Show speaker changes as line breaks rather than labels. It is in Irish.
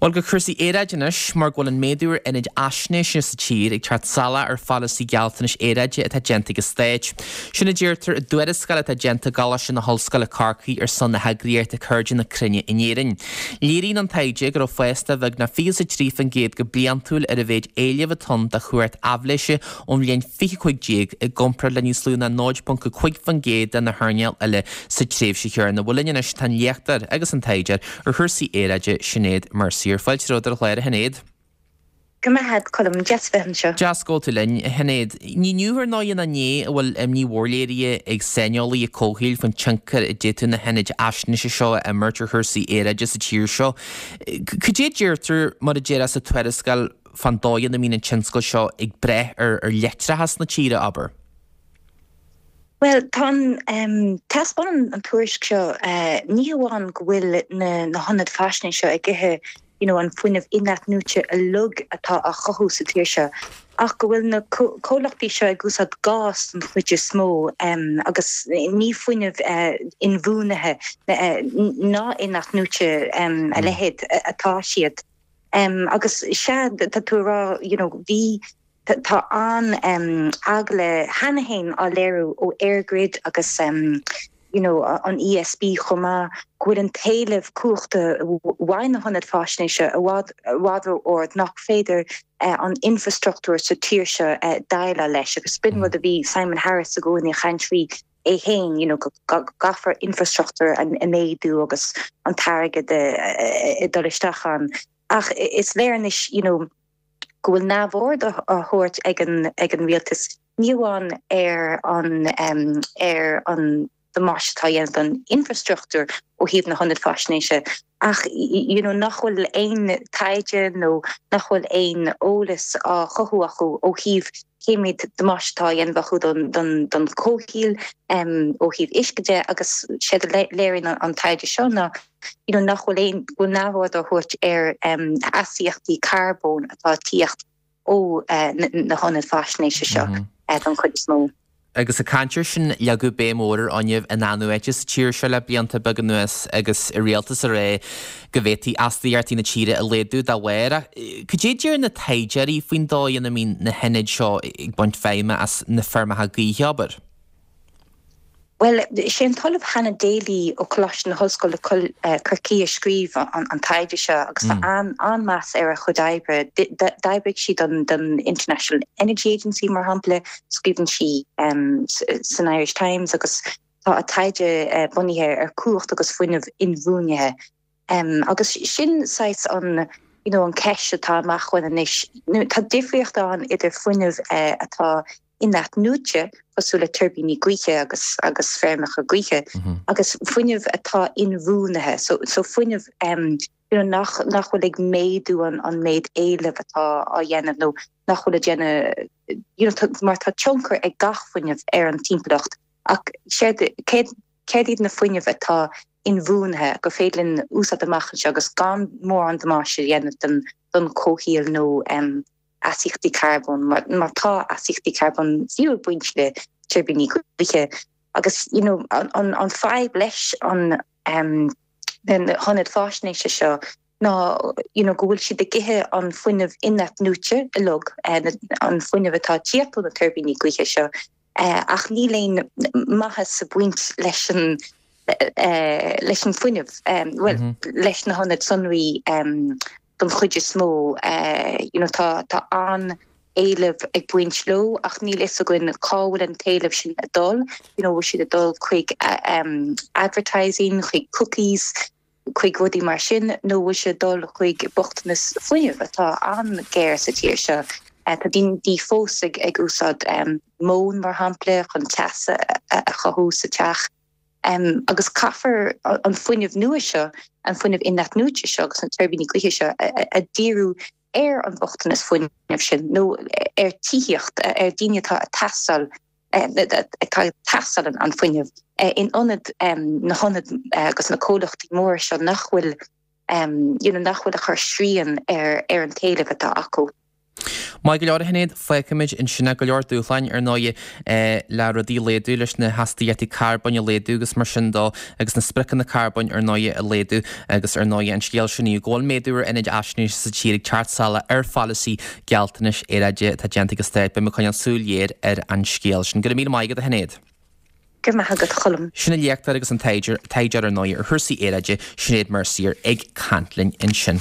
Bhuel, go cúrsaí aeráide anois, mar go bhfuil an méadú ar ionaid fhaisnéise sa tír ag teacht salach ar pholasaí gealltanais aeráide atá déanta ag an Stát. Sin a deirtear i dtuarascáil atá déanta i gColáiste na hOllscoile Corcaigh ar son na heagraíochta Cairde na Cruinne in Éirinn. Léiríonn an taighde go raibh fás de bheagnach 23% go bliantúil ar an mhéid éilimh atá ann do chumhacht aibhléise ón bhliain 2015 i gcomparáid le níos lú ná 0.5% de na hearnáil eile sa tréimhse chéanna. Bhuel linn anois tá an léachtóir agus an taighdeoir ar chúrsaí aeráide, Sinéad Mercier. Fáilte romhat ar an chlár, a Shinéad.
Go raibh maith agat, Colm. Deas a bheith anseo.
Deas go bhfuil tú linn, a Shinéad. Ní inniu ar ndóigh ná inné a bhfuil imní mhór léirithe ag saineolaithe comhshaoil faoin tionchar a d'fhéadfadh na hionaid fhaisnéise seo a imirt ar chúrsaí aeráide sa tír seo. Cad é a deirtear, mar a déarfá, sa tuarascáil fán dóigh ina mbíonn an tionscal seo ag breith ar leictreachas na tíre, abair?
Bhuel, tá an, taispeánann an tuairisc seo ní hamháin go bhfuil na hionaid faisnéise seo ag ithe you know an fuinneamh in-athnuaite uilig atá á chothú sa tír seo, ach go bhfuil na comhlachtaí seo ag úsáid gás don chuid is mó agus ní fuinneamh inbhuanaithe ná in-athnuaite a leithéid atá siad. Agus sea, tá tú ag rá, you know, bhí, tá an-eagla cheana féin á léiriú ó EirGrid agus, you know, an ESB chomh maith, go bhfuil an t-éileamh cumhachta uaidh na hionaid faisnéise i bhfad, i bhfad ró-ard, nach féidir an infrastruchtúr sa tír seo déileáil leis. Agus b'in rud a bhí Simon Harris i gcónaí ag caint faoi é féin, you know, go gcaithfear infrastruchtúr a mhéadú agus an t-airgead ag dul isteach ann. Ach is léir anois, you know, go bhfuil neamhaird á thabhairt ag an ag an rialtas, ní amháin ar an ar an damáiste atá á dhéanamh don infrastruchtúr ó thaobh na hionad faisnéise, ach you know nach bhfuil aon taighde nó nach bhfuil aon eolas á chothú acu ó thaobh cé méid damáiste atá á dhéanamh acu don chomhshaol ó thaobh uisce de agus séard a léiríonn an taighde seo ná you know nach bhfuil aon, go bhfuil neamhaird á thabhairt ar astaíochtaí carbóin atá ag tíocht ó na hionaid faisnéise seo don chuid is mó.
Agus ag caint air sin, leagadh béim mhór ar fhuinneamh in-athnuaite sa tír seo le blianta beaga anuas agus an rialtas ag rá go bhféadfaí astaíochtaí na tíre a laghdú dá bharr. Ach cad é a deir na taighdeoirí faoin dóigh ina mbíonn na hionaid seo ag baint feidhme as na feirmeacha gaoithe, abair?
Bhuel, sé an tOllamh Hannah Daly ó Choláiste na hOllscoile Corcaigh a scríobh an taighde seo agus tá an-meas ar a chuid oibre. D'oibrigh sí don International Energy Agency, mar shampla, scríobhann sí san Irish Times agus tá a taighde bunaithe ar chumhacht agus fuinneamh inbhuanaithe. Agus sin saghas an, you know, an ceist atá amach romhainn anois. Tá difríocht ann idir fuinneamh atá in-athnuaite, cosúil le tuirbíní gaoithe agus agus feirmeacha gaoithe, agus fuinneamh atá inbhuanaithe, so so fuinneamh you know nach nach bhfuil ag méadú an an méid éilimh atá á dhéanamh nó nach bhfuil ag déanamh, you know, mar tá tionchar ag gach fuinneamh ar an timpeallacht ach séard céard céard iad na fuinnimh atá inbhuanaithe gur féidir linn úsáid amach anseo agus gan mórán damáiste a dhéanamh don don chomhshaol nó astaíochtaí carbóin mar tá astaíochtaí carbóin fiú ag baint le tuirbíní gaoithe agus you know an an fadhb leis an na hionaid faisnéise seo ná you know go bhfuil siad ag ithe an fuinneamh in-athnuaite uilig, an fuinneamh atá ag tíocht ó na tuirbíní gaoithe seo ach níl aon maitheas ag baint leis an leis an fuinneamh, bhuel leis na hionaid sonraí don chuid is mó. You know tá tá an-éileamh ag baint leo ach níl fhios againn cá bhfuil an t-éileamh sin ag dul, you know bhfuil siad ag dul chuig advertising, chuig cookies, chuig rudaí mar sin nó bhfuil sé ag dul chuig bochtanas fuinnimh atá an-ghéar sa tír seo. Tá daoine fós ag úsáid móin, mar shampla, chun teas a chothú sa teach. Agus caithfear an fuinneamh nua seo, an fuinneamh in-athnuaite seo agus na tuirbíní gaoithe seo a dhíriú ar an mbochtanas fuinnimh sin nó ar tithíocht, ar daoine atá ag teastáil atá ag teastáil an fuinneamh in ionad na hionaid agus na comhlachtaí móra seo nach bhfuil you know nach bhfuil ag cur srian ar ar an t-éileamh atá acu.
Maith go leor a Shinéad, fágfaimid ansin é. Go leor dúshláin ar ndóigh le rudaí a laghdú, leis na hastaíochtaí carbóin a laghdú agus mar sin dó agus na spriocanna carbóin ar ndóigh a laghdú agus ar ndóigh an scéal sin inniu go bhfuil méadú ar ionaid fhaisnéise sa tír ag teacht salach ar pholasaí gealltanais aeráide atá déanta ag an stát. Beidh mé ag coinneáil súil ghéar ar an scéal sin. Go raibh míle maith agat a Shinéad.
Go raibh maith agat a Choilm.
Sin an léachtóir agus an taighdeoir ar ndóigh ar chúrsaí aeráide, Sinéad Mercier ag caint linn ansin.